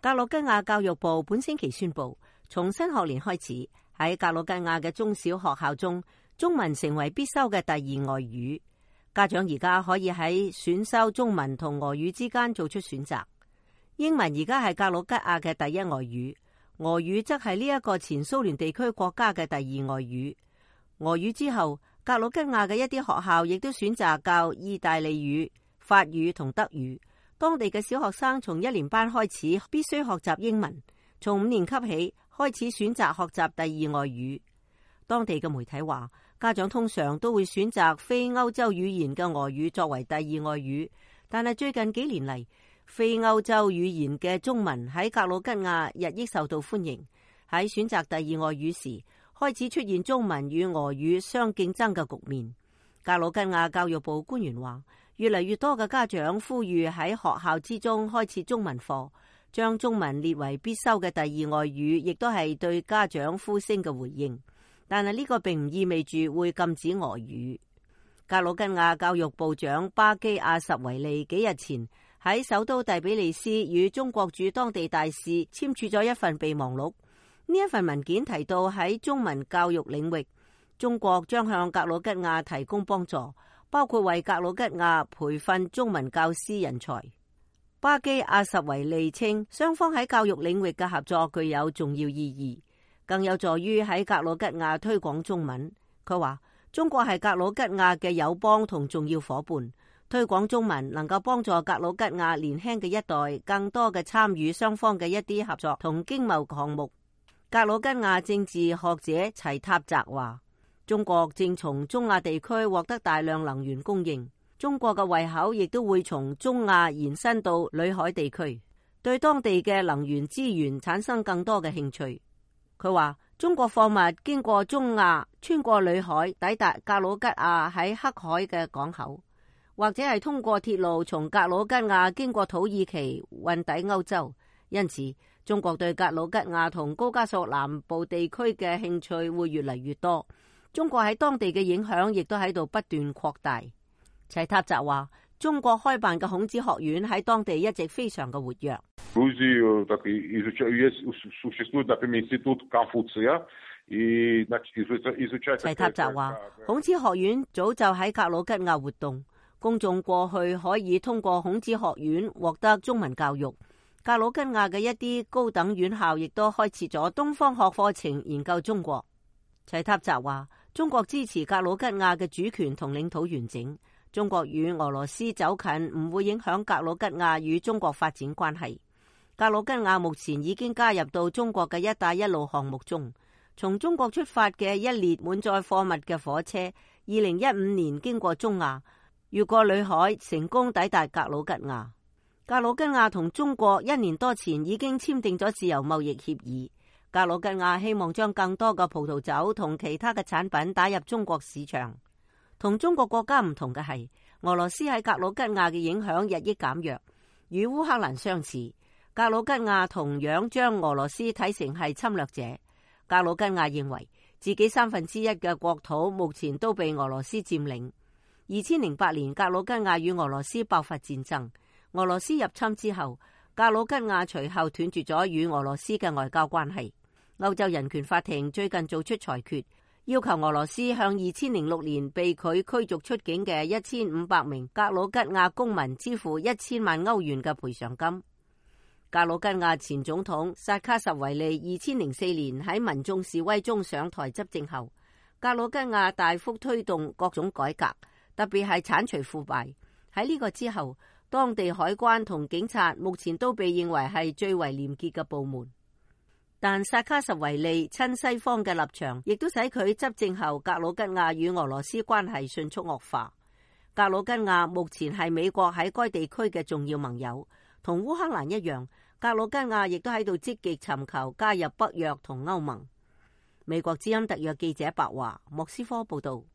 格魯吉亞教育部本星期宣布，從新學年開始，喺格魯吉亞嘅中小學校中，中文成為必修嘅第二外語。家長而家可以喺選修中文同俄語之間做出選擇。英文而家係格魯吉亞嘅第一外語，俄語則係呢一個前蘇聯地區國家嘅第二外語。俄語之後，格魯吉亞嘅一啲學校亦都選擇教意大利語、法語同德語。當地嘅小學生從1年班開始必須學習英文，從5年級起開始選擇學習第二外語。當地嘅媒體話，家長通常都會選擇非歐洲語言嘅俄語作為第二外語，但係最近幾年嚟，非歐洲語言嘅中文喺格魯吉亞日益受到歡迎。喺選擇第二外語時，開始出現中文與俄語相競爭嘅局面。格魯吉亞教育部官員話，越嚟越多嘅家長呼籲喺學校之中開設中文課，將中文列為必修嘅第二外語，亦都係對家長呼聲嘅回應。但係呢個並唔意味住會禁止俄語。格魯吉亞教育部長巴基亞什維利幾日前喺首都第比利斯與中國駐當地大使簽署咗一份備忘錄。呢一份文件提到，喺中文教育領域，中國將向格魯吉亞提供幫助，包括為格魯吉亞培訓中文教師人才。巴基亞什維利稱，雙方喺教育領域嘅合作具有重要意義，更有助於喺格魯吉亞推廣中文。佢話，中國係格魯吉亞嘅友邦同重要夥伴，推廣中文能夠幫助格魯吉亞年輕嘅一代更多嘅參與雙方嘅一啲合作同經貿項目。格魯吉亞政治學者齊塔澤話，中國正從中亞地區獲得大量能源供應，中國嘅胃口亦都會從中亞延伸到裏海地區，對當地嘅能源資源產生更多嘅興趣。佢話，中國貨物經過中亞，穿過裏海，抵達格魯吉亞喺黑海嘅港口，或者係通過鐵路從格魯吉亞經過土耳其運抵歐洲。因此，中國對格魯吉亞同高加索南部地區嘅興趣會越嚟越多。中國喺當地嘅影響亦都喺度不斷擴大。齊塔澤話，中國開辦嘅孔子學院喺當地一直非常嘅活躍。齊塔澤話，孔子學院早就喺格魯吉亞活動，公眾過去可以通過孔子學院獲得中文教育。格魯吉亞嘅一啲高等院校亦都開設咗東方學課程研究中國。齊塔澤話，中國支持格魯吉亞嘅主權同領土完整。中國與俄羅斯走近唔會影響格魯吉亞與中國發展關係。格魯吉亞目前已經加入到中國嘅一帶一路項目中。從中國出發嘅一列滿載貨物嘅火車，2015年經過中亞，越過裏海，成功抵達格魯吉亞。格魯吉亞同中國1年多前已經簽訂咗自由貿易協議。格魯吉亞希望將更多嘅葡萄酒同其他嘅產品打入中國市場。同中國國家唔同嘅係，俄羅斯喺格魯吉亞嘅影響日益減弱，與烏克蘭相似。格魯吉亞同樣將俄羅斯睇成係侵略者。格魯吉亞認為自己1/3嘅國土目前都被俄羅斯佔領。2008年，格魯吉亞與俄羅斯爆發戰爭。俄羅斯入侵之後，格魯吉亞隨後斷絕咗與俄羅斯嘅外交關係。歐洲人權法庭最近做出裁決，要求俄羅斯向2006年被佢驅逐出境嘅1500名格魯吉亞公民支付1000萬歐元嘅賠償金。格魯吉亞前總統薩卡什維利2004年喺民眾示威中上台執政後，格魯吉亞大幅推動各種改革，特別係剷除腐敗。喺呢個之後，當地海關同警察目前都被認為係最為廉潔嘅部門。但薩卡什維利親西方嘅立場，亦都使佢執政後格魯吉亞與俄羅斯關係迅速惡化。格魯吉亞目前係美國喺該地區嘅重要盟友，同烏克蘭一樣，格魯吉亞亦都喺度積極尋求加入北約同歐盟。美國之音特約記者白華，莫斯科報道。